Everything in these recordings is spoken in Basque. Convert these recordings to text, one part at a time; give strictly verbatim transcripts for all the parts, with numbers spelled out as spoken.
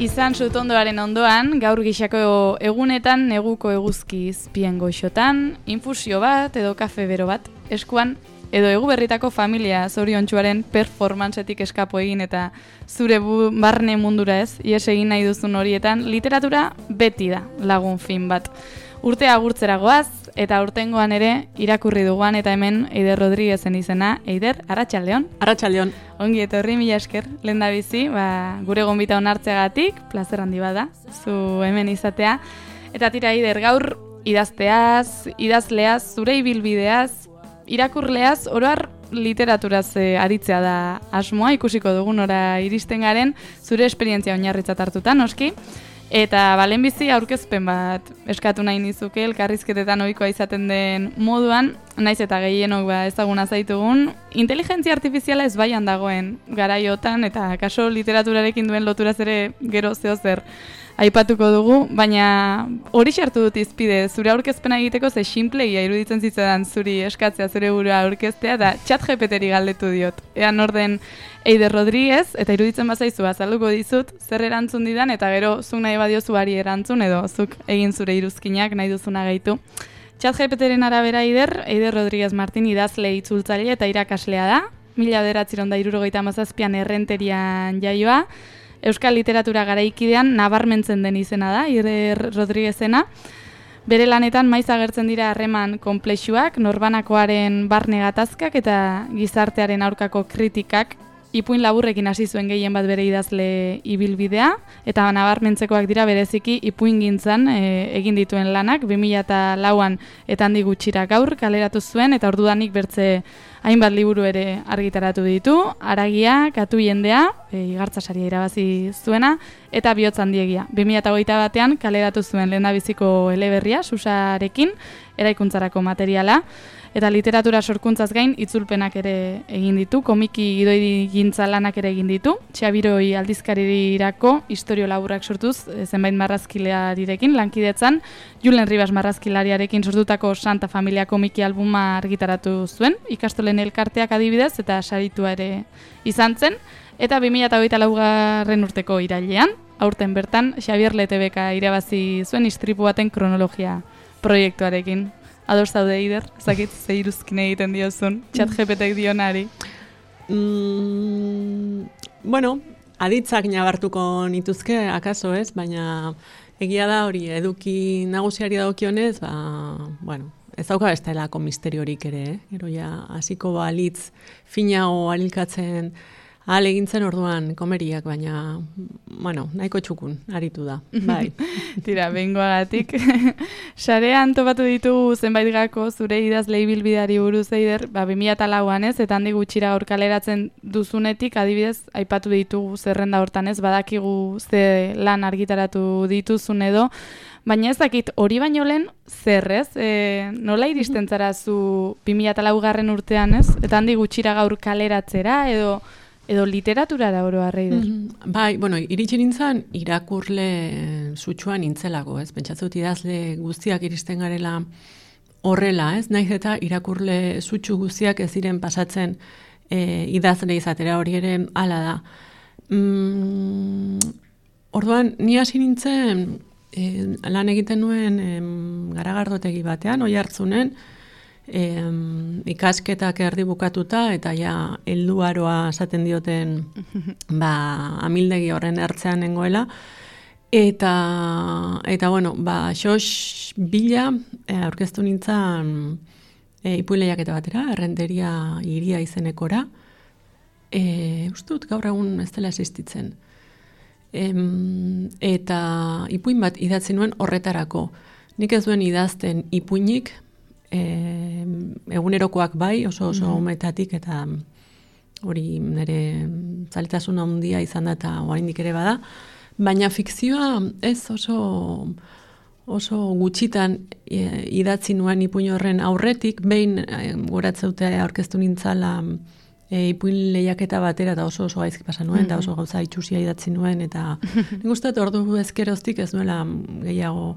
Izan sutondoaren ondoan, gaur gixako egunetan, neguko eguzki izpien goixotan, infusio bat edo kafe bero bat, eskuan, edo egu berritako familia zoriontsuaren performantzetik eskapo egin eta zure bu, barne mundura ez, ies egin nahi duzun horietan, literatura beti da lagun fin bat. Urtea agurtzera goaz, eta urtengoan ere irakurri duguan eta hemen Eider Rodriguezen izena. Eider, arratsaldeon. Arratsaldeon. Ongi etorri, mila esker, lehendabizi, ba, gure gonbita onartzeagatik, plazer handi bada, zu hemen izatea. Eta tira, Eider, gaur idazteaz, idazleaz, zure ibilbideaz, irakurleaz, oroar literaturaz eh, aritzea da asmoa, ikusiko dugun ora iristen garen, zure esperientzia oinarritzat hartuta, noski. Eta balen bizi aurkezpen bat eskatu nahi nizuke, elkarrizketetan ohikoa izaten den moduan, naiz eta gehienok ba ezaguna zaitugun, inteligentzia artifiziala ez baian dagoen garaiotan eta kaso literaturarekin duen loturaz ere gero zeozer aipatuko dugu, baina hori sartu dut izpide, zure aurkezpena egiteko ze simplegia iruditzen zitzadan zuri eskatzea zure burua aurkeztea, da ChatGPTri galdetu diot. Ean orden Eider Rodriguez, eta iruditzen bazaizu azalduko dizut, zer erantzun didan, eta gero zuk nahi badiozu ari erantzun, edo zuk egin zure iruzkinak nahi duzuna gaitu. ChatGPTren arabera Eider, Eider Rodriguez Martin idazle itzultzaile eta irakaslea da, mila bederatziehun eta hirurogeita hamazazpian Errenterian jaioa, Euskal literatura garaikidean nabarmentzen den izena da, Eider Rodriguezena. Bere lanetan maiz agertzen dira harreman konplexuak, norbanakoaren barne gatazkak eta gizartearen aurkako kritikak, ipuin laburrekin hasi zuen gehien bat bere idazle ibilbidea, eta nabarmentzekoak dira bereziki ipuingintzan e, egin dituen lanak, bi mila lauan eta handi gutxira gaur kaleratu zuen, eta ordudanik bertze hainbat liburu ere argitaratu ditu, Haragia, Katu jendea, e, Igartza saria irabazi zuena, eta Bihotz handiegia. bi mila hogeita batean kaleratu zuen lehendabiziko eleberria, Susarekin, eraikuntzarako materiala, eta literatura sorkuntzaz gain itzulpenak ere egin ditu, komiki gidoigintza lanak ere egin ditu, Txabiroi aldizkarirako istorio laburrak sortuz, zenbait marrazkilarirekin lankidetzan, Julen Ribas marrazkilariarekin sortutako Santa Familia komiki albuma argitaratu zuen, ikastolen elkarteak adibidez, eta saritua ere izan zen, eta bi mila hogeita laugarren urteko irailean, aurten bertan, Xabier Letebeka irabazi zuen istripu baten kronologia proiektuarekin. Ados zaude, Eider, ezakit ze iruzkin egiten diozun, ChatGPTek dionari. Mm, bueno, aditzak nabartuko nituzke, akaso ez, baina egia da hori, eduki nagusiari dagokionez, ba, bueno, ez dauka bestelako misteriorik ere, eh? Gero ja, hasiko balitz finago alilkatzen ahal egintzen orduan komeriak, baina, bueno, nahiko txukun, aritu da, bai. Tira, behingoagatik. Sarean topatu ditugu zenbait gako zure idazle ibilbideari buruz, Eider, ba, bi mila lauan ez, eta handi gutxira hor kaleratzen duzunetik, adibidez, aipatu ditugu zerrenda hortan ez, badakigu ze lan argitaratu dituzun edo, baina ez dakit hori baino lehen zer ez, e, nola iristen zara zu bi mila laugarren urtean ez, eta handi gutxira gaur kaleratzera edo edo literaturara oro Eider. Mm-hmm. Bai, bueno, iritsi nintzen irakurle sutsuan nintzelako, ez? Pentsatzut idazle guztiak iristen garela horrela, ez? Naiz eta irakurle sutsu guztiak ez diren pasatzen e, idazle izatera, hori ere hala da. Mm, orduan, ni hasi nintzen e, lan egiten nuen e, Garagardotegi batean, Oiartzunen, E, ikasketak erdi bukatuta eta ja helduaroa esaten dioten ba, amildegi horren ertzean nengoela eta eta bueno, ba xos bila e, aurkeztu nintzen e, ipuinlehiaketa batera, Errenteria hiria izenekora. E, uste dut gaur egun ez dela existitzen. E, eta ipuin bat idatzi nuen horretarako. Nik ez duen idazten ipuinik, E, egunerokoak bai, oso oso mm. umetatik, eta hori nire zaletasun handia izan da eta oraindik ere bada, baina fikzioa ez oso oso gutxitan e, idatzi nuen ipuin horren aurretik, behin e, goratzeute aurkeztu nintzala e, ipuin lehiaketa batera eta oso oso gaizki pasa nuen, eta mm-hmm. oso gauza itxusia idatzi nuen, eta nik uste dut ordu ezkeroztik ez nuela gehiago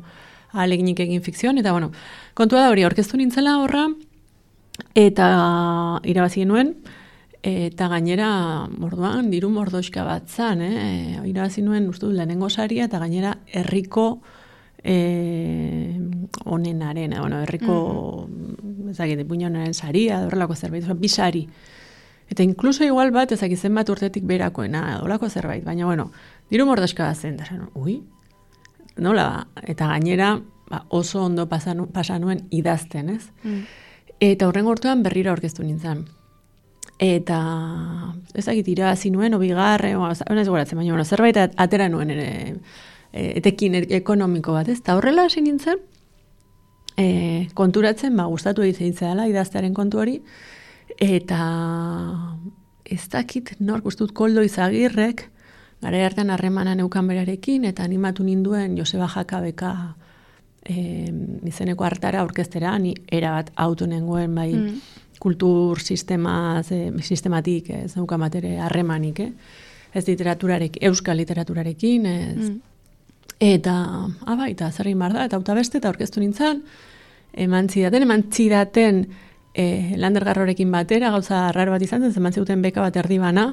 ahaleginik egin fikzioan, eta bueno, kontua da hori, aurkeztu nintzela horra, eta irabazi genuen, Eta gainera, orduan, diru mordoxka bat zan, eh? Irabazi nuen, uste dut, lehenengo saria, eta gainera, herriko eh, onenaren, bueno, herriko, mm-hmm. ezagite, puñonaren saria, horrelako zerbait, bi sari. Eta inkluso igual bat, ezakizen bat urtetik berakoena, horrelako zerbait, baina, bueno, diru mordoxka bat zen, da, ui, nola, eta gainera, ba, oso ondo pasan, pasanuen idazten, ez? Mm. Eta horren gortuan berriro aurkeztu nintzen. Eta ezagit irabazi nuen, obigarre, ez goratzen, baina bueno, zerbait atera nuen ere, etekin ekonomiko bat, ez? Eta horrela hasi nintzen, e, konturatzen, ba, gustatu egiten dela idaztearen kontu hori, eta ez dakit nork ustut Koldo Izagirrek, gara hartan harremana neukan berarekin, eta animatu ninduen Joseba Jakabeka e, izeneko hartara aurkeztera, ni erabat auto nengoen bai, mm. kultur sistemaz, e, sistematik, ez neukan batere harremanik, eh? Ez literaturarekin, euskal literaturarekin, ez, mm. eta, aba, eta zerrin bar da, eta auta beste, eta aurkeztu nintzen, eman zidaten, eman zidaten, E, Lander Garrorekin batera, gauza raro bat izan zen, zeman zeuten beka bat erdi bana,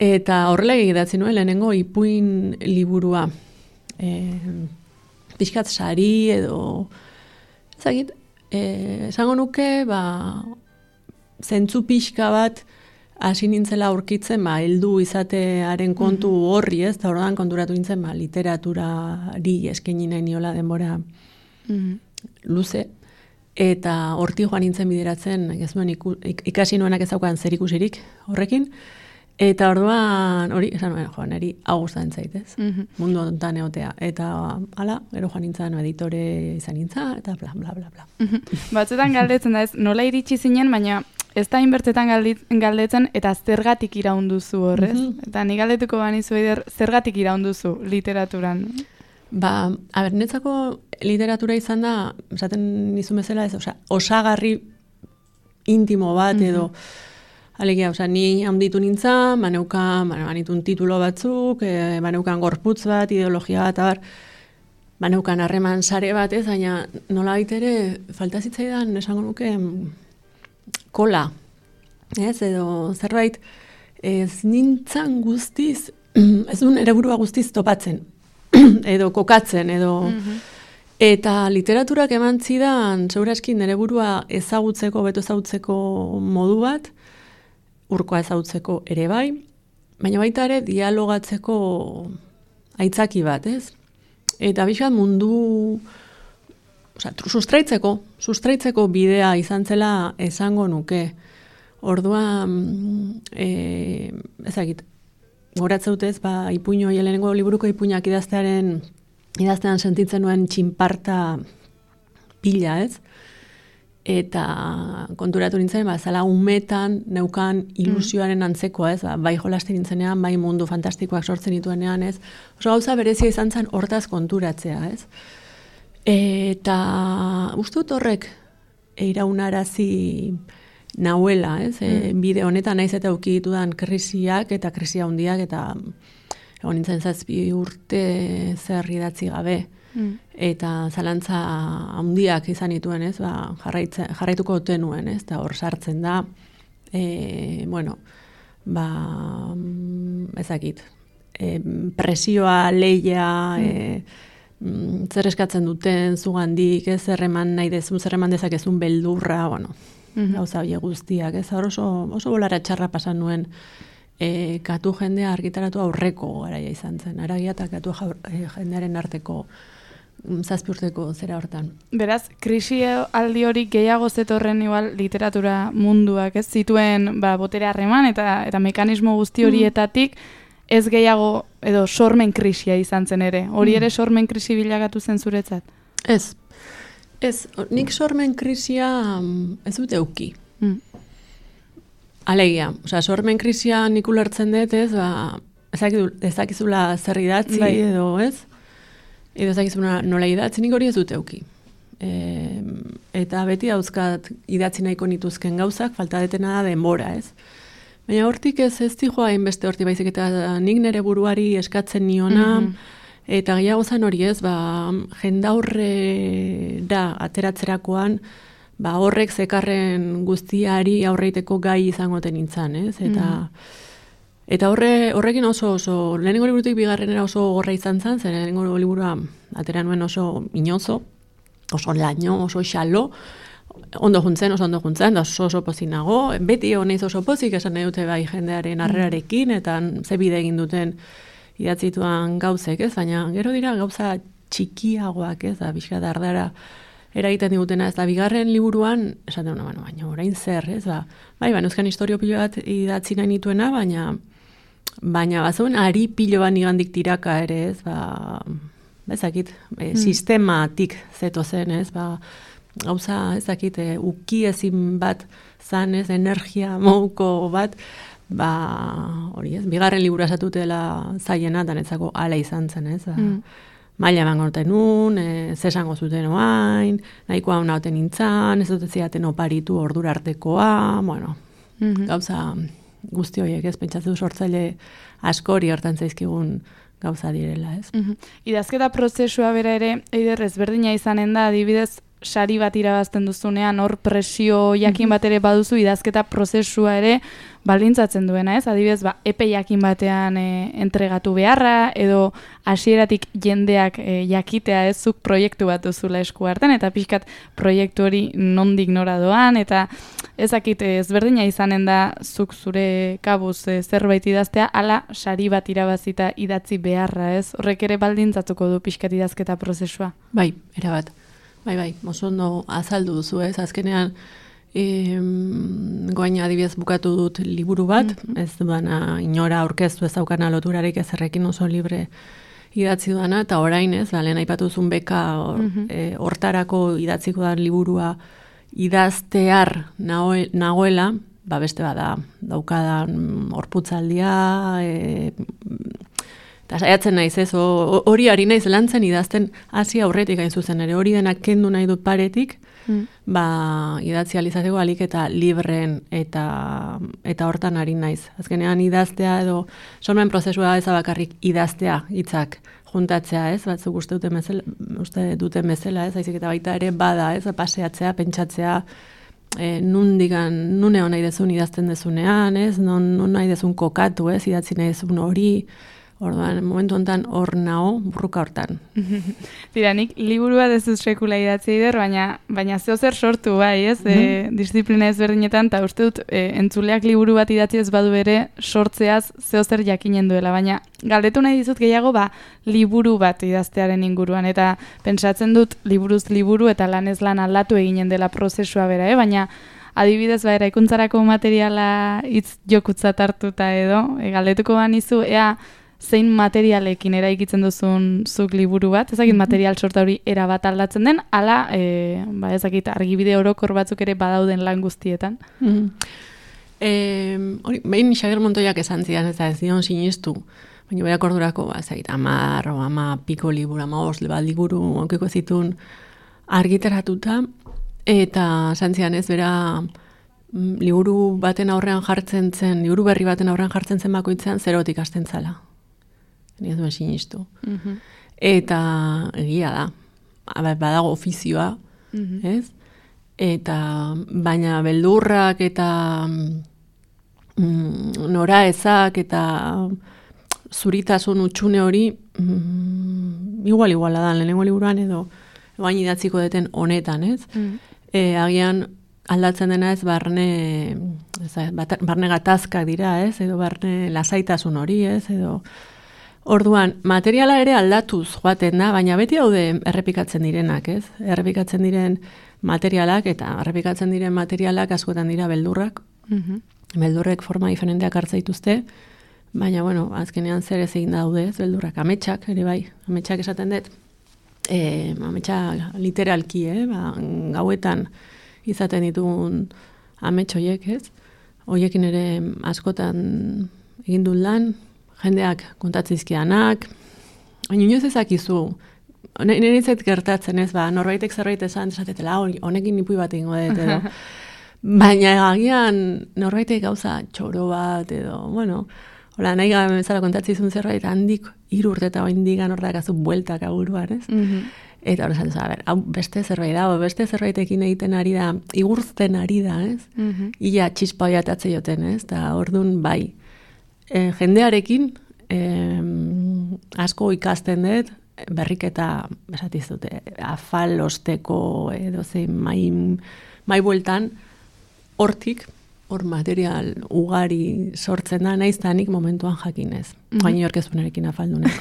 eta horrela egidatzi nuen lehenengo ipuin liburua. E, pixkat sari edo, ezagit, e, esango nuke, ba, zentzu pixka bat hasi nintzela aurkitzen, ba, heldu izatearen kontu horri, ez, eta horredan konturatu nintzen, ba, literaturari eskaini nahi niola denbora mm-hmm. luze. Eta horti joan nintzen bideratzen, ez nuen iku, ikasi nuenak ezaukan zer ikusirik horrekin, eta orduan, hori, esan nuen, joan, eri augustan zaitez, mm-hmm. mundu ontan egotea, eta hala, gero joan nintzen, editore izan nintzen, eta bla, bla, bla, bla. Mm-hmm. Batzuetan galdetzen da ez, nola iritsi zinen, baina ez da inbertzetan galdetzen, eta zergatik iraunduzu horrez, mm-hmm. eta ni galdetuko banizu eider, zergatik iraunduzu literaturan. Ba, aber, netzako literatura izan da, esaten nizun bezala ez, osa, osagarri intimo bat edo, mm-hmm. alegia, osa, ni handitu nintzen, baneukan, banitun titulo batzuk, e, baneukan gorputz bat, ideologia bat, abar, baneukan harreman sare bat, ez, baina nola baitere, falta zitzaidan, esango nuke, kola, ez, edo zerbait, ez nintzen guztiz, ez duen ere burua guztiz topatzen, edo kokatzen, edo... Mm-hmm. Eta literaturak eman zidan, segurazki nire burua ezagutzeko, beto ezagutzeko modu bat, urkoa ezagutzeko ere bai, baina baita ere dialogatzeko aitzaki bat, ez? Eta bizkat mundu, oza, sustraitzeko, sustraitzeko bidea izan zela esango nuke. Orduan, e, ezagit, goratzeutez, ba, ipuño, lehenengo liburuko ipuñak idaztearen, idaztean sentitzen nuen txinparta pila, ez? Eta konturatu nintzen, ba, zala umetan neukan ilusioaren antzekoa, ez? Ba, bai jolasten nintzenean, bai mundu fantastikoak sortzen dituenean, ez? Oso gauza berezia izan zen hortaz konturatzea, ez? Eta ustut horrek iraunarazi nauela, ez? Mm. E, bide honetan naiz eta auki ditudan krisiak eta krisia handiak eta egon nintzen zazpi urte zer idatzi gabe. Mm. Eta zalantza handiak izan dituen, ez? Ba, jarraituko ote nuen, ez? Eta hor sartzen da, e, bueno, ba, ezakit, e, presioa, leia, mm. e, zer eskatzen duten zugandik, ez? Zer eman nahi dezun, zer eman dezakezun beldurra, bueno, mm-hmm. gauza bie guztiak, ez? Hor oso, oso bolara txarra pasan nuen, E, katu jendea argitaratu aurreko garaia izan zen. Aragia eta katu e, jendearen arteko zazpi urteko zera hortan. Beraz, krisi aldi hori gehiago zetorren igual literatura munduak, ez zituen ba, botere harreman eta eta mekanismo guzti horietatik ez gehiago edo sormen krisia izan zen ere. Hori ere sormen krisi bilakatu zen zuretzat? Ez. Ez, nik sormen krisia ez dute euki. Mm. Alegia, osea, sormen krisia nik ulertzen dut, ez, ba, ezakizula zer idatzi, bai. Edo, ez? Edo ezakizuna nola idatzi, nik hori ez dut euki. E, eta beti dauzkat idatzi nahiko nituzken gauzak, falta detena da denbora, ez? Baina hortik ez ez dijoa hainbeste horti baizik, eta nik nire buruari eskatzen niona, mm-hmm. eta gehiago zan hori ez, ba, jendaurre da ateratzerakoan, ba, horrek zekarren guztiari aurreiteko gai izangoten nintzen, ez? Eta, mm. eta horre, horrekin oso, oso, lehenengo liburutik bigarrenera oso gorra izan zen, zer lehenengo liburua atera nuen oso inozo, oso laino, oso xalo, ondo juntzen, oso ondo juntzen, da oso oso pozinago, beti honeiz oso pozik esan nahi dute bai jendearen harrerarekin, eta ze bide egin duten idatzituan gauzek, ez? Baina gero dira gauza txikiagoak, ez? Da, bizka dardara eragiten digutena, ez da, bigarren liburuan, esaten duna, bueno, baina orain zer, ez? Ba, bai, baina euskan historio pilo bat idatzi nahi nituena, baina baina bazuen ari pilo bat nigandik tiraka ere, ez? Ba, ezakit, e, mm. sistematik zeto zen, ez? Ba, gauza, ezakit, e, uki ezin bat zan, ez? Energia mouko bat, ba, hori ez, bigarren libura esatutela zaiena, danetzako ala izan zen, ez? Ba, mm. maila eman gorten nun, e, zesango zuten oain, nahikoa hona oten nintzen, ez dut ziaten oparitu ordura artekoa, bueno, mm-hmm. gauza guzti horiek, ez, pentsatzen sortzaile askori hortan zaizkigun gauza direla, ez. Mm-hmm. Idazketa prozesua bera ere, eider ezberdina izanen da, adibidez, sari bat irabazten duzunean, hor presio jakin bat ere baduzu, idazketa prozesua ere baldintzatzen duena, ez? Adibidez, ba, epe jakin batean e, entregatu beharra, edo hasieratik jendeak e, jakitea ez zuk proiektu bat duzula esku hartan, eta pixkat proiektu hori nondik nora doan, eta ezakit ezberdina izanen da zuk zure kabuz e, zerbait idaztea, ala sari bat irabazita idatzi beharra, ez? Horrek ere baldintzatuko du pixkat idazketa prozesua. Bai, erabat. Bai, bai, oso ondo azaldu duzu, ez? Azkenean, em, goain adibidez bukatu dut liburu bat, mm-hmm. ez duana inora aurkeztu ez daukana loturarik ezerrekin oso libre idatzi duana, eta orain ez, ba, lehen aipatu duzun beka or, mm-hmm. e, hortarako idatziko da liburua idaztear nagoe, nagoela, ba beste bada, daukadan horputzaldia, e, eta saiatzen naiz ez, hori ari naiz lantzen idazten hasi aurretik hain zuzen ere, hori denak kendu nahi dut paretik, mm. ba, idatzi alizateko alik eta libreen eta, eta hortan ari naiz. Azkenean idaztea edo, sormen prozesua ez bakarrik idaztea hitzak juntatzea ez, batzuk uste duten bezala, uste duten bezala ez, haizik eta baita ere bada ez, paseatzea, pentsatzea, e, nundigan, nune hon nahi dezun idazten dezunean ez, non, non nahi dezun kokatu ez, idatzi nahi dezun hori, orduan, momentu honetan hor nao, burruka hortan. Tira, nik liburua dezuz sekula idatzi ider, baina, baina zeo zer sortu bai, ez? Mm-hmm. E, disiplina ezberdinetan, eta uste dut, e, entzuleak liburu bat idatzi ez badu ere, sortzeaz zeo zer jakinen duela, baina galdetu nahi dizut gehiago, ba, liburu bat idaztearen inguruan, eta pentsatzen dut, liburuz liburu eta lanez lan aldatu eginen dela prozesua bera, eh? Baina, adibidez, ba, eraikuntzarako materiala hitz jokutzat hartuta edo, e, galdetuko banizu, ea, zein materialekin eraikitzen duzun zuk liburu bat, ezakit material sorta hori era bat aldatzen den, ala, e, ba, ezakit argibide orokor batzuk ere badauden lan guztietan. Mm-hmm. E, hori, behin Xabier Montoiak esan zidan, ez da ez dion sinistu, baina berak ordurako, ba, ezakit, amar, o ama piko liburu, ama os, bat liburu, aukiko zitun argitaratuta, eta esan zidan ez, bera, liburu baten aurrean jartzen zen, liburu berri baten aurrean jartzen zen bakoitzean, zerotik hasten zala. Ez duen sinistu. Mm-hmm. Eta egia da. Badago ofizioa, mm-hmm. ez? Eta baina beldurrak eta mm, nora ezak eta zuritasun utxune hori mm, igual iguala da, lehenengo liburuan edo bain idatziko deten honetan, ez? Mm-hmm. E, agian aldatzen dena ez barne, ez, barne gatazkak dira, ez? Edo barne lasaitasun hori, ez? Edo orduan, materiala ere aldatuz joaten da, baina beti haude errepikatzen direnak, ez? Errepikatzen diren materialak eta errepikatzen diren materialak askotan dira beldurrak. Mm-hmm. Beldurrek forma diferenteak hartza dituzte, baina, bueno, azkenean zer ez egin daude, ez? Beldurrak, ametsak, ere bai, ametsak esaten dut, e, ametsak literalki, eh? Ba, gauetan izaten ditugun amets horiek, ez? Horiekin ere askotan egin dut lan, jendeak kontatzizkianak, baina inoz ezakizu, nire izet gertatzen ez, ba, norbaitek zerbait esan, esatetela, honekin nipui bat egingo dut, edo. Baina agian norbaitek gauza txoro bat, edo, bueno, Hola, nahi gabe bezala kontatzizun zerbait handik hiru urte eta oindigan hor dakazu bueltak aburuan, ez? Mm-hmm. Eta hori zaten, a ber, hau beste zerbait da, beste zerbaitekin egiten ari da, igurzten ari da, ez? Mm-hmm. Ia txispa hoiatatze joten, ez? Da, orduan, bai, e, jendearekin e, asko ikasten dut, berriketa, besatiz dute, afal osteko edo zein mai, mai bueltan, hortik, hor material ugari sortzen da, naiztanik momentuan jakinez. Mm-hmm. Gaini orkezunarekin afaldunak.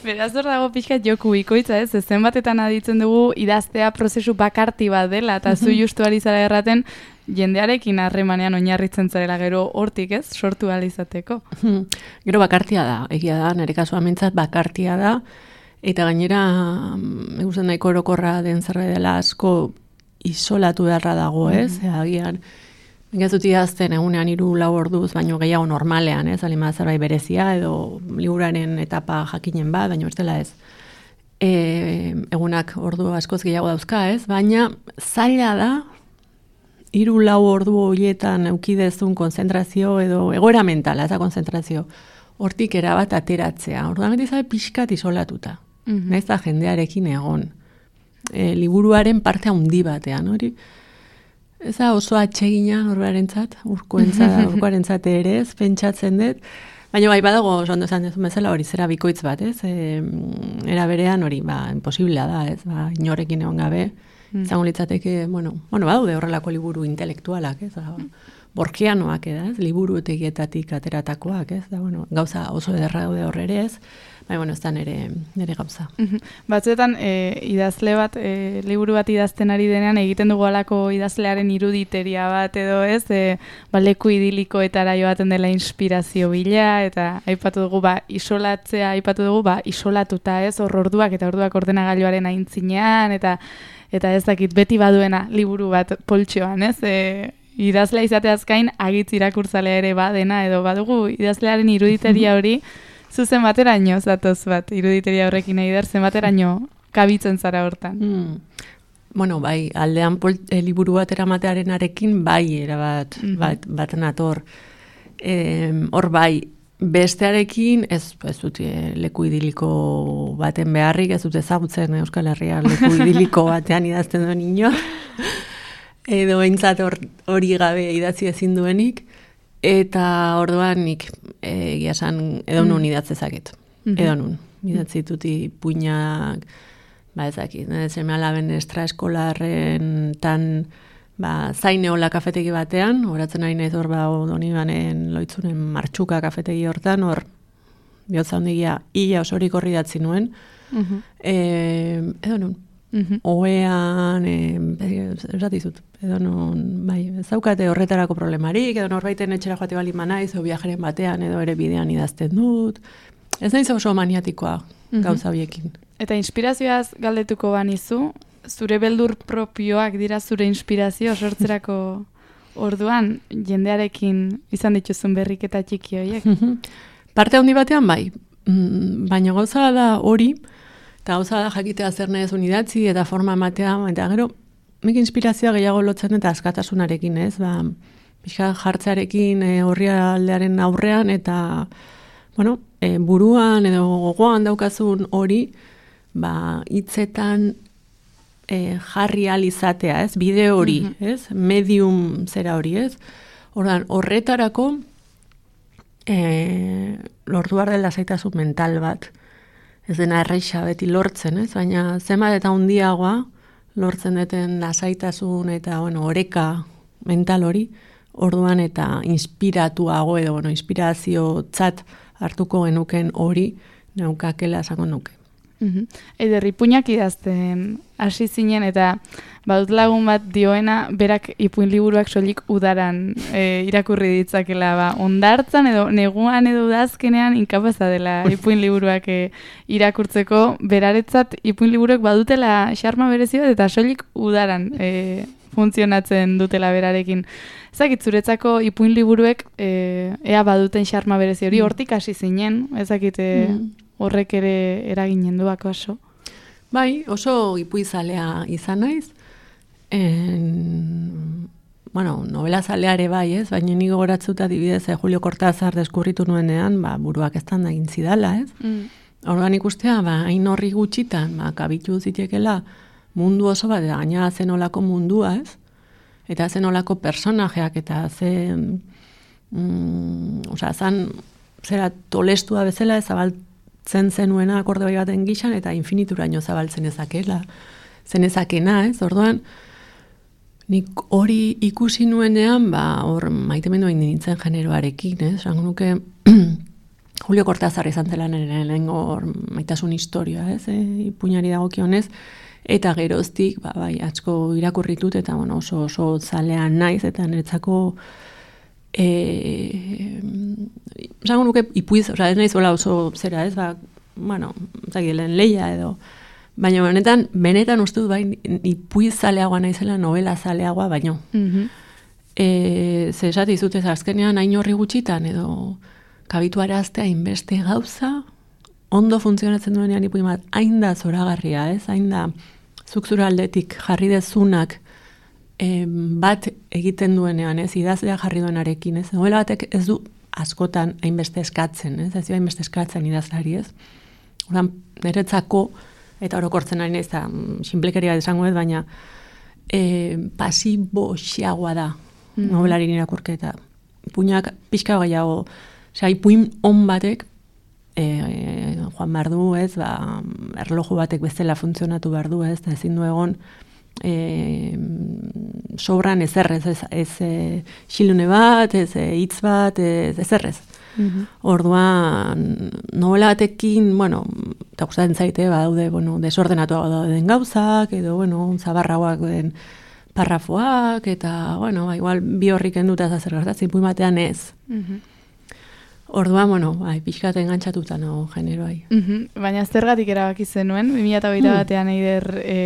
Beraz hor dago pixkat joku bikoitza, ez? Zenbatetan aditzen dugu idaztea prozesu bakarti bat dela, eta mm-hmm. zu justu ari zara erraten, jendearekin harremanean oinarritzen zarela gero hortik, ez? Sortu ahal izateko. Mm-hmm. Gero bakartia da, egia da, nire kasua mintzat bakartia da, eta gainera, egusten nahiko orokorra den zerbait dela asko isolatu beharra dago, ez? Mm-hmm. Agian, Gazut idazten egunean hiru lau orduz, baino gehiago normalean, ez? Alima zerbait berezia edo liburaren etapa jakinen bat, baino ez dela ez. E, egunak ordu askoz gehiago dauzka, ez? Baina zaila da hiru lau ordu horietan eukidezun konzentrazio edo egoera mentala, ez da konzentrazio. Hortik erabat ateratzea. Orduan beti zabe pixkat isolatuta. Mm-hmm. Naiz da jendearekin egon. E, liburuaren parte handi batean, hori? Ez da oso atsegina norbarentzat, urkoentzat, urkoarentzat ere ez, pentsatzen dut. Baina bai badago, ondo esan dezun bezala, hori zera bikoitz bat, ez? E, era berean hori, ba, imposiblea da, ez? Ba, inorekin egon gabe, mm. izango litzateke, bueno, bueno, badaude horrelako liburu intelektualak, ez? Ba, borkianoak, ez? Liburutegietatik ateratakoak, ez? Da, bueno, gauza oso ederra daude horre ere ez, baina, bueno, ez da nere, nere gauza. Batzuetan, e, idazle bat, e, liburu bat idazten ari denean, egiten dugu alako idazlearen iruditeria bat edo ez, e, ba, leku idilikoetara joaten dela inspirazio bila, eta aipatu dugu, ba, isolatzea, aipatu dugu, ba, isolatuta ez, hor orduak eta orduak ordenagailuaren aintzinean, eta eta ez dakit beti baduena liburu bat poltsioan, ez, e, idazlea izateaz gain agitz irakurtzalea ere badena, edo badugu idazlearen iruditeria hori, zuzen bateraino zatoz bat, iruditeria horrekin nahi dar, zen bateraino kabitzen zara hortan. Mm. Bueno, bai, aldean pol, e, liburu bat eramatearen arekin, bai, erabat, mm-hmm. bat, bat nator. E, hor bai, bestearekin, ez, ez dut e, leku idiliko baten beharrik, ez dut ezagutzen Euskal Herria leku idiliko batean idazten duen ino. Edo eintzat hori gabe idatzi ezin duenik. Eta orduan nik egia esan edo nun idatze zaket. Mm-hmm. Edo nun. Idatzi tuti puinak, ba ezakit, seme alaben estraeskolarren tan ba, zaineola kafetegi batean, horatzen ari naiz hor ba doni banen loitzunen martxuka kafetegi hortan, hor bihotza hondigia ia osorik horri datzi nuen. Mm-hmm. E, edo nun. Mm-hmm. Oean, eratizut, edo non, bai, ez daukate horretarako problemarik, edo norbaiten etxera joate bali manaiz, edo viajeren batean, edo ere bidean idazten dut. Ez naiz oso maniatikoa mm-hmm. gauza biekin. Eta inspirazioaz galdetuko banizu, zure beldur propioak dira zure inspirazio sortzerako orduan, jendearekin izan dituzun berriketa txiki horiek? Parte handi batean bai, baina gauza da hori, eta gauza da jakitea zer nahezun idatzi eta forma ematea, eta gero, nik inspirazioa gehiago lotzen eta askatasunarekin, ez? Ba, pixka jartzearekin e, horri aldearen aurrean, eta, bueno, e, buruan edo gogoan daukazun hori, ba, hitzetan e, jarri alizatea, ez? Bide hori, mm-hmm. ez? Medium zera hori, ez? Ordan, horretarako, e, lortu behar dela zaitasun mental bat, ez dena erreixa beti lortzen, ez? Baina zenbat eta handiagoa lortzen deten lasaitasun eta bueno, oreka mental hori, orduan eta inspiratuago edo bueno, inspirazio tzat hartuko genuken hori neukakela esango nuke. Mm-hmm. Eider, ipuinak idazten hasi zinen eta badut lagun bat dioena berak ipuin liburuak soilik udaran e, irakurri ditzakela, ba, ondartzan edo neguan edo udazkenean inkapaza dela ipuin liburuak e, irakurtzeko, beraretzat ipuin liburuak badutela xarma berezi bat eta soilik udaran e, funtzionatzen dutela berarekin. Ezakit zuretzako ipuin liburuek e, ea baduten xarma berezi hori, hortik hasi zinen, ezakit e, mm. horrek ere eraginen duak oso. Bai, oso ipuizalea izan naiz. En, bueno, novela zaleare bai, ez? Baina ni gogoratzuta adibidez eh, Julio Cortázar deskurritu nuenean, ba, buruak eztan da egin zidala, ez? Mm. Orduan ikustea, ba, hain horri gutxitan, ba, kabitu zitekela mundu oso bat, gaina zenolako mundua, ez? Eta zenolako personajeak, eta zen, mm, osea, zan, zera tolestua bezala, zabaltzen zenuena akorde bai baten gixan, eta infinituraino zabaltzen ezakela, zenezakena, ez? Orduan, nik hori ikusi nuenean, ba, hor maitemendu egin nintzen generoarekin, ez? Zango nuke, Julio Cortázar izan zela nire lehengo maitasun historia, ez? E, ipuñari dagokionez, eta geroztik, ba, bai, atzko irakurritut, eta bueno, oso, oso zalean naiz, eta niretzako, e, zango nuke ipuiz, oza, ez naiz hola oso zera, ez? Ba, bueno, zagilen leia edo, baina benetan, benetan uste dut bai, ipuiz zaleagoa naizela, novela zaleagoa, baino. Mm-hmm. E, ze esate izutez azkenean hain horri gutxitan, edo kabitu araztea inbeste gauza, ondo funtzionatzen duenean ipuin bat, hain da zoragarria, ez? Hain da zuk zure aldetik jarri dezunak e, bat egiten duenean, ez? Idazlea jarri duenarekin, ez? Novela batek ez du askotan hainbeste eskatzen, ez? Ez du hainbeste eskatzen idazlari, ez? Oran, niretzako, eta orokortzen ari naiz, sinplekeria esango ez, baina e, pasibo xiagoa da mm-hmm. novelari irakurketa. Ipuinak pixka gehiago, osea, ipuin on batek e, e, joan behar du, ez, ba, erloju batek bezala funtzionatu behar du, ez, eta ezin du egon e, sobran ezerrez, ez, ez e, xilune bat, ez hitz bat, ez ezerrez. Mm-hmm. Orduan, novela batekin, bueno, eta gustatzen zaite, badaude, bueno, desordenatuago dauden gauzak, edo, bueno, zabarrauak den parrafoak, eta, bueno, ba, igual bi horrik enduta zazer gertatzen, ipuin batean ez. Mm-hmm. Orduan, bueno, bai, pixkat engantzatuta nago generoai. Mm-hmm. Baina zergatik erabaki zenuen, bi mila hogeita batean mm. eider e,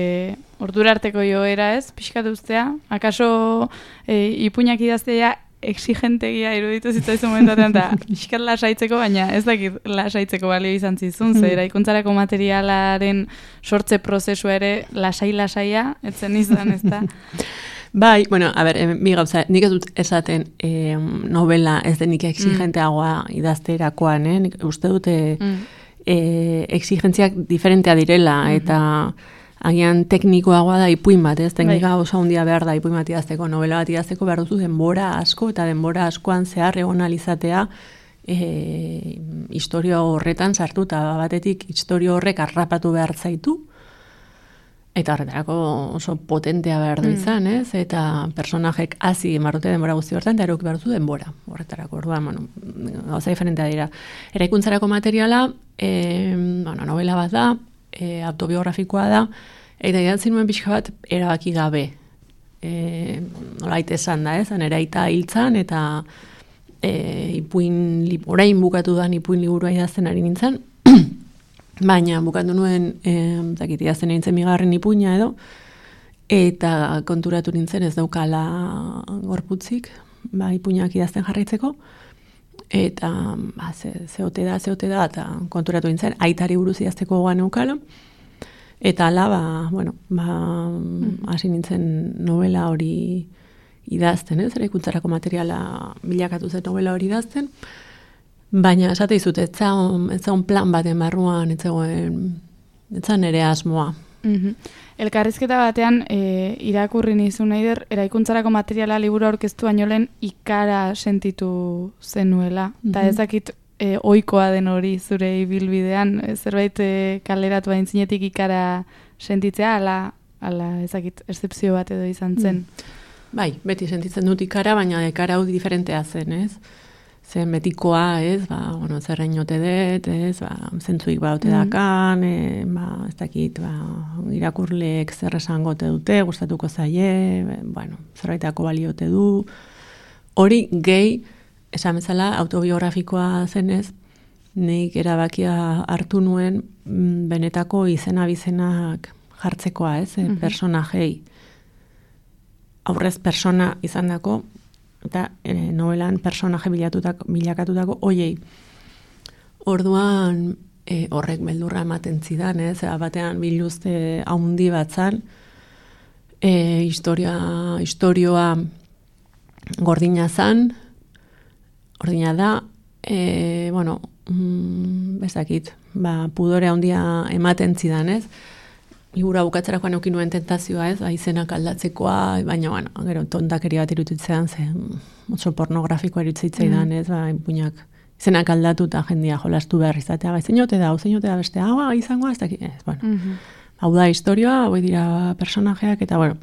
ordura arteko joera ez, pixkat ustea, akaso e, ipuinak idaztea exigentegia iruditu zitzaizun momentuatean, eta pixkat lasaitzeko, baina ez dakit lasaitzeko balio izan zizun, mm. zer, ikuntzarako materialaren sortze prozesua ere lasai-lasaia, etzen izan, ez da? Bai, bueno, a ber, mi gauza, nik ez dut esaten eh, novela ez denik exigenteagoa mm. idazterakoan, eh? Nik uste dute mm. eh, exigentziak diferentea direla, mm-hmm. eta agian teknikoagoa da ipuin bat, ez? Teknika bai. Oso handia behar da ipuin bat idazteko, novela bat idazteko behar duzu denbora asko, eta denbora askoan zehar egon alizatea eh, historia horretan sartuta, batetik historia horrek arrapatu behar zaitu, eta horretarako oso potentea behar du izan, ez? Eta personajek hazi marrute denbora guzti horretan, eta erok behar du denbora horretarako. Orduan, bueno, gauza diferentea dira. Eraikuntzarako materiala, e, bueno, novela bat da, e, autobiografikoa da, eta idatzi nuen pixka bat erabaki gabe. E, nolait esan da, ez? Nera aita hiltzan, eta e, ipuin, orain bukatu da ipuin liburua idazten ari nintzen, baina bukatu nuen, eh, zakit, idazten nintzen migarren ipuina edo, eta konturatu nintzen ez daukala gorputzik, ba, ipuinak idazten jarraitzeko, eta ba, ze, zeote da, zeote da, eta konturatu nintzen, aitari buruz idazteko goan eukala, eta ala, ba, bueno, ba, hasi nintzen novela hori idazten, ez, eraikuntzarako materiala bilakatu zen novela hori idazten, baina esate dizut, ez zaun plan baten barruan, ez zaun ere asmoa. Mm-hmm. Elkarrizketa batean, e, irakurri nizun eider, eraikuntzarako materiala liburu aurkeztu baino lehen ikara sentitu zenuela. Eta mm-hmm. ezakit e, ohikoa den hori zure ibilbidean, e, zerbait e, kaleratu bain zinetik ikara sentitzea, ala, ala ezakit, excepzio bat edo izan zen. Mm. Bai, beti sentitzen dut ikara, baina ikara hau diferentea zen, ez? Zen betikoa, ez, ba, bueno, zerrein ote dut, ez, ba, zentzuik ba, ote dakan, e, ba, ez dakit, ba, irakurleek zer esango ote dute, gustatuko zaie, e, bueno, zerbaitako baliote du. Hori gehi, esan bezala, autobiografikoa zenez, nik erabakia hartu nuen benetako izena bizenak jartzekoa, ez, e, personajei. Aurrez persona izan dako, eta e, novelan personaje bilakatutako oiei. Orduan e, horrek beldurra ematen zidan, ez? Batean biluzte haundi batzan, e, historia, historioa gordina zan, gordina da, e, bueno, mm, bezakit, ba, pudore handia ematen zidan, ez? Igura bukatzerakoan eukin nuen tentazioa, ez? Izenak aldatzekoa, baina, bueno, gero, tontakeria bat irutitzean, ze, oso pornografikoa irutzeitzaidan, ez? Ba, puñak, izenak aldatu eta jendia jolastu behar izatea, ba, zeinote da, zeinote da beste, hau, izangoa, ez dakit, ez, bueno. Mm -hmm. Hau da historioa, hau dira personajeak, eta, bueno,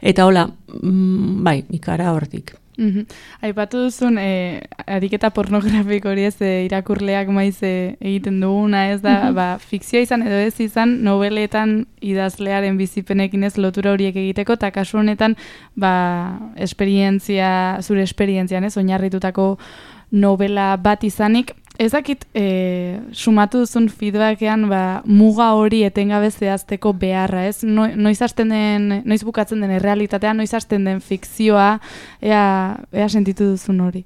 eta hola, mm, bai, ikara hortik. Mm -hmm. Aipatu duzun, eh, ariketa pornografiko hori ez, eh, irakurleak maiz eh, egiten duguna, ez da, mm -hmm. ba, fikzioa izan edo ez izan, nobeletan idazlearen bizipenekin ez lotura horiek egiteko, eta kasu honetan, ba, esperientzia, zure esperientzian ez, oinarritutako novela bat izanik, ez dakit, e, sumatu duzun feedbackean, ba, muga hori etengabe zehazteko beharra, ez? No, noiz hasten den, noiz bukatzen den errealitatea, noiz hasten den fikzioa, ea, ea sentitu duzun hori?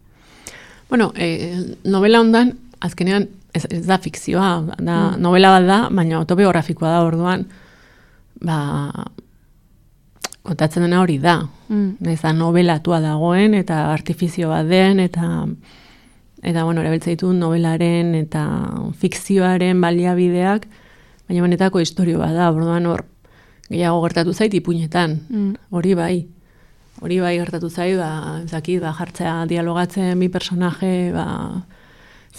Bueno, e, novela hondan, azkenean, ez, ez da fikzioa, da, mm. novela bat da, baina autobiografikoa da orduan, ba, kontatzen dena hori da. Mm. Ez da novelatua dagoen, eta artifizio bat den, eta... Eta, bueno, erabiltza ditu novelaren eta fikzioaren baliabideak, baina benetako historio bat da, orduan hor, gehiago gertatu zait ipuinetan, mm. hori bai. Hori bai gertatu zait, ba, ezakit, ba, jartzea dialogatzen bi personaje, ba,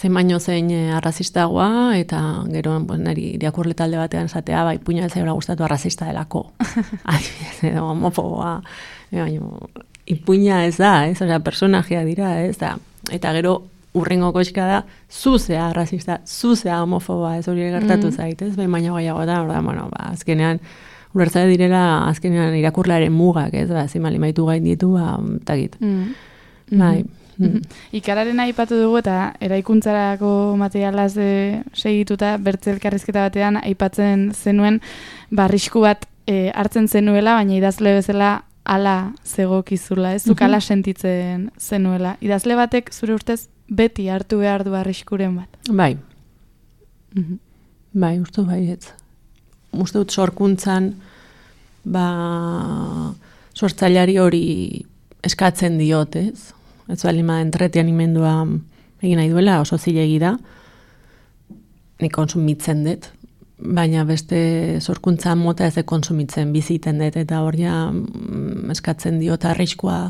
zein baino zein arrazistagoa, eta gero, pues, niri irakurle talde batean esatea, ba, ipuina ez zaiola gustatu arrazista delako. Adibidez, edo, homofoboa, baina, ipuina ez da, ez, osea, personajea dira, ez da, eta gero, urrengo koxka da, zuzea arrazista, zuzea homofoba, ez hori gertatu mm. zait, ez? Behin baina gaiago da, orda, bueno, ba, azkenean, ulertza direla, azkenean irakurlaren mugak, ez? Ba, zimali maitu gain ditu, ba, tagit. Mm. Bai. Mm. Mm. Ikararen aipatu dugu eta eraikuntzarako materialaz de segituta, bertze elkarrizketa batean, aipatzen zenuen, barrisku bat e, hartzen zenuela, baina idazle bezala ala zegokizula, ez? Zuk ala sentitzen zenuela. Idazle batek, zure ustez, beti hartu behar du arriskuren bat. Bai. Mm-hmm. Bai, uste bai, ez. Uste dut sorkuntzan, ba, sortzailari hori eskatzen diot, ez? Ez bali ma entretenimendua egin nahi duela, oso zilegi da. Nik konsumitzen dut, baina beste sorkuntza mota ez de konsumitzen biziten dut, eta hor ja mm, eskatzen diot arriskua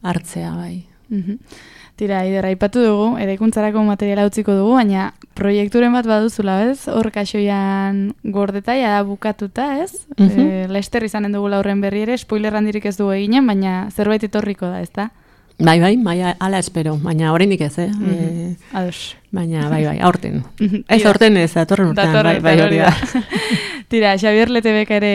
hartzea, bai. Mm-hmm. Tira, Aider, aipatu dugu, eraikuntzarako materiala utziko dugu, baina proiekturen bat baduzula, ez? Hor kaxoian gordeta, ja bukatuta, ez? Mm-hmm. E, Lester izanen dugu laurren berri ere, spoiler handirik ez dugu eginen, baina zerbait etorriko da, ez da? Bai, bai, bai, ala espero, baina oraindik ez, eh? Mm-hmm. e, Ados. Baina, bai, bai, aurten. Ez aurten ez, datorren urtean, bai, bai, hori da. Tira, Xabier Letebek ere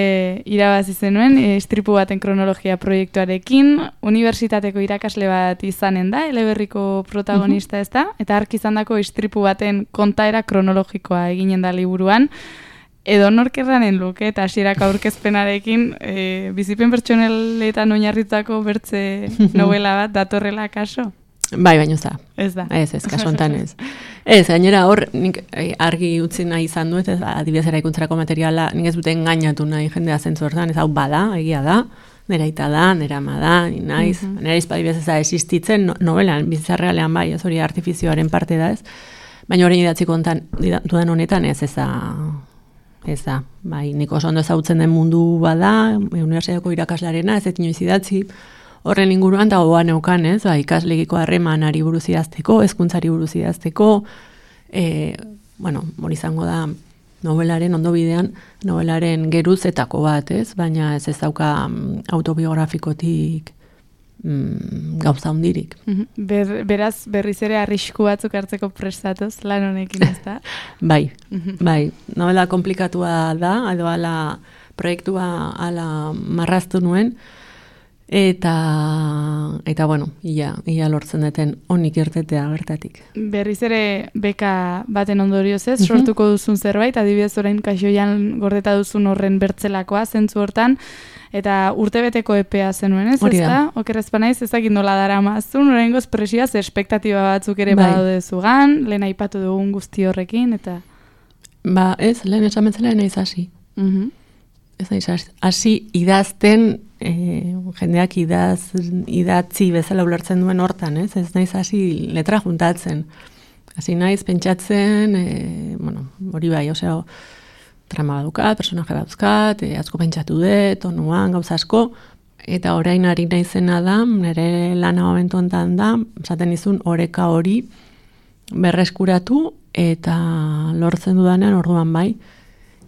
irabazi zenuen, istripu baten kronologia proiektuarekin, unibertsitateko irakasle bat izanen da, eleberriko protagonista ez da, eta ark izandako istripu baten kontaera kronologikoa eginen da liburuan, edo norkerranen luke eta hasierako aurkezpenarekin e, bizipen pertsoneletan oinarritutako bertze novela bat datorrela kaso? Bai, baino za. Ez da. Ez, ez, kaso hontan ez. Ez, gainera hor, nik argi utzi nahi izan dut, ez, adibidez eraikuntzarako materiala, nik ez dute engainatu nahi jendea zentzu hortan, ez hau bada, egia da, nera ita da, nera ma da, ni naiz, mm-hmm. nera izpadibidez ez da existitzen, no, novelan, bizarrealean bai, ez hori artifizioaren parte da ez, baina horrein idatziko hontan, dudan honetan ez, ez da, ez da, bai, nik oso ondo ezautzen den mundu bada, unibertsitateko irakaslarena, ez etinoiz idatzi, horren inguruan da gogoan neukan, ez, ba, ikaslegiko harremanari buruz idazteko, hezkuntzari buruz idazteko, e, bueno, hori izango da novelaren ondobidean, novelaren geruzetako bat, ez, baina ez ez dauka autobiografikotik mm, gauza hundirik. Ber, beraz, berriz ere arrisku batzuk hartzeko prestatuz, lan honekin, ez da? Bai, bai, novela komplikatua da, edo ala proiektua ala marraztu nuen, Eta, eta bueno, ia, ia lortzen duten onik irtetea bertatik. Berriz ere beka baten ondorioz ez, uh-huh. sortuko duzun zerbait, adibidez orain kaxoian gordeta duzun horren bertzelakoa, zentzu hortan, eta urtebeteko epea zenuen ez, ez da? Okerrezpa naiz, ezakit nola dara mazun, oraingoz presioaz, espektatiba batzuk ere bai. Badaude zugan, lehen aipatu dugun guzti horrekin, eta... Ba ez, lehen esamentzela naiz hasi. Uh-huh. ez naiz hasi idazten, e, jendeak idaz, idatzi bezala ulertzen duen hortan, ez? Ez naiz hasi letra juntatzen. Hasi naiz pentsatzen, e, bueno, hori bai, osea, trama badukat, personaje badukat, e, asko pentsatu dut, tonuan, gauza asko, eta orain ari naizena da, nire lana momentu honetan da, esaten izun oreka hori berreskuratu, eta lortzen dudanean orduan bai,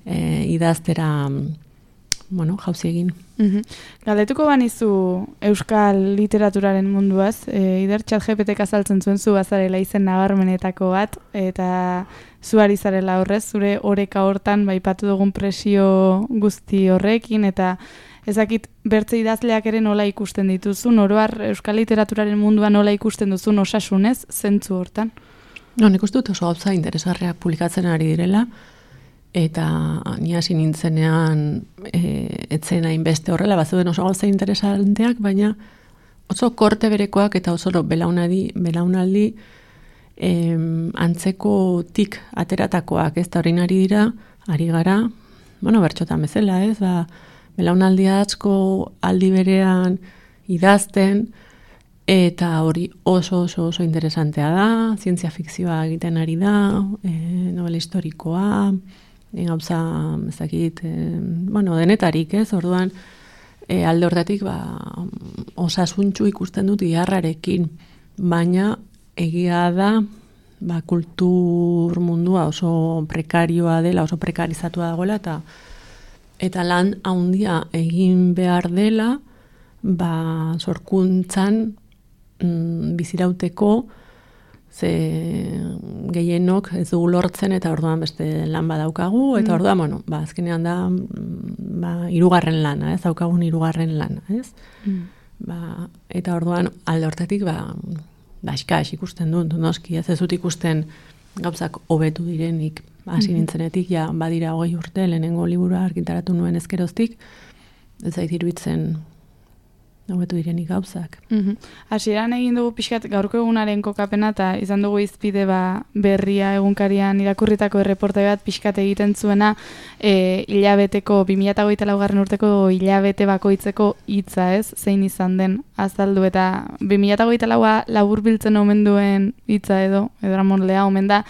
e, idaztera, bueno, jauzi egin. Mm-hmm. Galdetuko banizu euskal literaturaren munduaz, e, Ider ChatGPTek azaltzen zuen zu bazarela izen nabarmenetako bat, eta zu ari zarela horrez, zure oreka hortan baipatu dugun presio guzti horrekin, eta ezakit bertze idazleak ere nola ikusten dituzun, oroar euskal literaturaren munduan nola ikusten duzun osasunez, zentzu hortan? No, nik uste dut oso gauza interesgarriak publikatzen ari direla, eta ni hasi nintzenean e, etzen hainbeste horrela, bazuden oso gauza interesanteak, baina oso korte berekoak eta oso belaunaldi, belaunaldi em, antzeko tik ateratakoak, ez da horrein ari dira, ari gara, bueno, bertxotan bezala, ez, ba, belaunaldi asko aldi berean idazten, eta hori oso oso oso interesantea da, zientzia fikzioa egiten ari da, e, novela historikoa, gauza, ez dakit, e, bueno, denetarik, ez, orduan, e, alde hortatik, ba, osasuntxu ikusten dut iharrarekin, baina egia da, ba, kultur mundua oso prekarioa dela, oso prekarizatua dagoela, eta eta lan handia egin behar dela, ba, sorkuntzan mm, bizirauteko, ze gehienok ez dugu lortzen eta orduan beste lan badaukagu, eta orduan, bueno, ba, azkenean da ba, hirugarren lana, ez, daukagun hirugarren lana, ez? Mm. Ba, eta orduan alde hortatik, ba, ba, eskas ikusten dut, noski, ez ez dut ikusten gauzak hobetu direnik, hasi mm-hmm. nintzenetik, ja, badira hogei urte, lehenengo liburua argitaratu nuen ezkeroztik, ez zait iruditzen hobetu direnik gauzak. Mm-hmm. Hasieran egin dugu pixkat gaurko egunaren kokapena, eta izan dugu izpide ba, berria egunkarian irakurritako erreportai bat pixkat egiten zuena e, hilabeteko, bi mila hogeita laugarren urteko hilabete bakoitzeko hitza, ez, zein izan den azaldu, eta bi mila hogeita laua laburbiltzen omen duen hitza edo, edo Ramon omen da,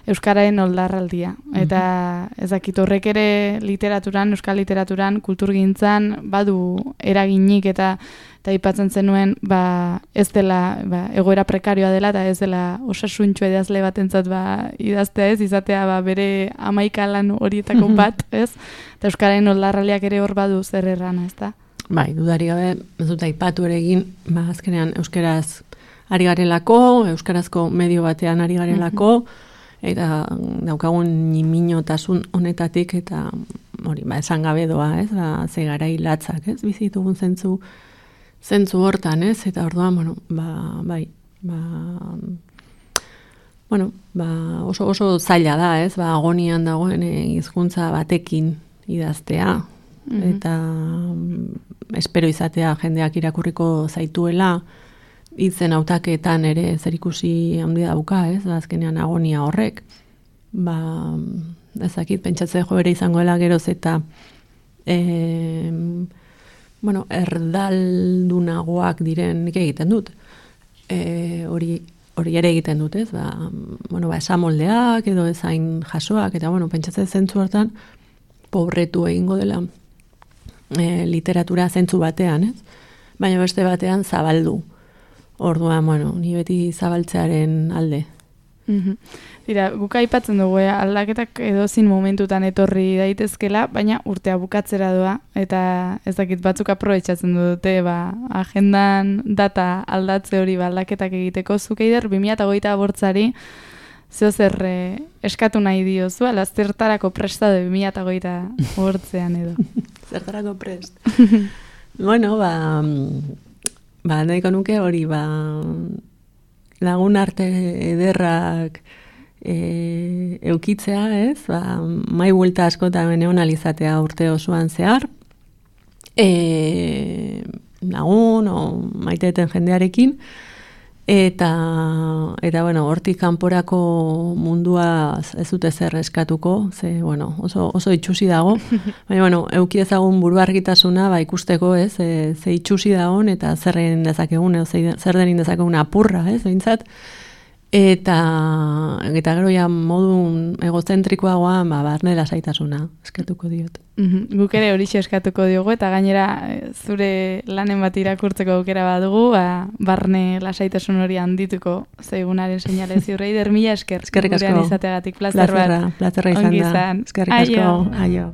euskararen oldarraldia. Eta mm-hmm. ezakit horrek ere literaturan, euskal literaturan, kulturgintzan badu eraginik, eta eta aipatzen zenuen ba, ez dela ba, egoera prekarioa dela, eta ez dela osasuntxo idazle batentzat ba, idaztea ez, izatea ba, bere hamaika lan horietako bat, ez? Eta euskararen oldarraldiak ere hor badu zer errana, ez da? Bai, dudari gabe, ez dut aipatu ere egin, ba, azkenean euskaraz ari garelako, euskarazko medio batean ari garelako, eta daukagun niminotasun honetatik, eta hori, ba, esan gabe doa, ez, ba, ze garai latzak, ez, bizitugun zentzu, zentzu hortan, ez, eta orduan, bueno, ba, bai, ba, bueno, ba, oso, oso zaila da, ez, ba, agonian dagoen hizkuntza batekin idaztea, mm-hmm. eta mm, espero izatea jendeak irakurriko zaituela, hitzen hautaketan ere zerikusi handia dauka, ez, ba, azkenean agonia horrek, ba, ezakit, pentsatze jo ere izangoela geroz eta e, bueno, erdaldunagoak diren nik egiten dut, e, hori hori ere egiten dut, ez, ba, bueno, ba, esamoldeak edo ezain jasoak, eta, bueno, pentsatze zentzu hortan pobretu egingo dela e, literatura zentzu batean, ez, baina beste batean zabaldu. Orduan, bueno, ni beti zabaltzearen alde. Mm-hmm. Dira, guk aipatzen dugu, eh? aldaketak edozin momentutan etorri daitezkela, baina urtea bukatzera doa, eta ez dakit batzuk aprobetxatzen dute, ba, agendan data aldatze hori ba, aldaketak egiteko, zuk Eider, bi mila hogeita bortzari, zeo zer eh, eskatu nahi diozu, ala zertarako prestado bi mila hogeita bortzean edo. Zertarako prest. Bueno, ba... Ba, nahiko nuke hori, ba, lagun arte ederrak e, eukitzea, ez? Ba, mai buelta askotan neonalizatea urte osoan zehar. E, lagun, o maiteten jendearekin. Eta, eta bueno, hortik kanporako mundua ez dute zer eskatuko, ze, bueno, oso, oso itxusi dago. Baina, bueno, euki ezagun buruargitasuna, ba, ikusteko, ez, ze, ze itxusi dagoen, eta zer egin dezakegun, edo zer denin dezakegun apurra, ez, behintzat. Eta, eta gero ja modu egozentrikoagoa, ba, barne lasaitasuna eskatuko diot. Mm-hmm. Guk ere horixe eskatuko diogu, eta gainera zure lanen bat irakurtzeko aukera badugu, ba, barne lasaitasun hori handituko zaigunaren seinale ziurrei, der mila esker. Eskerrik asko. Gurean izateagatik, plazer bat. Plazerra, plazerra izan da. Ongi izan. Eskerrik asko. Aio. Aio.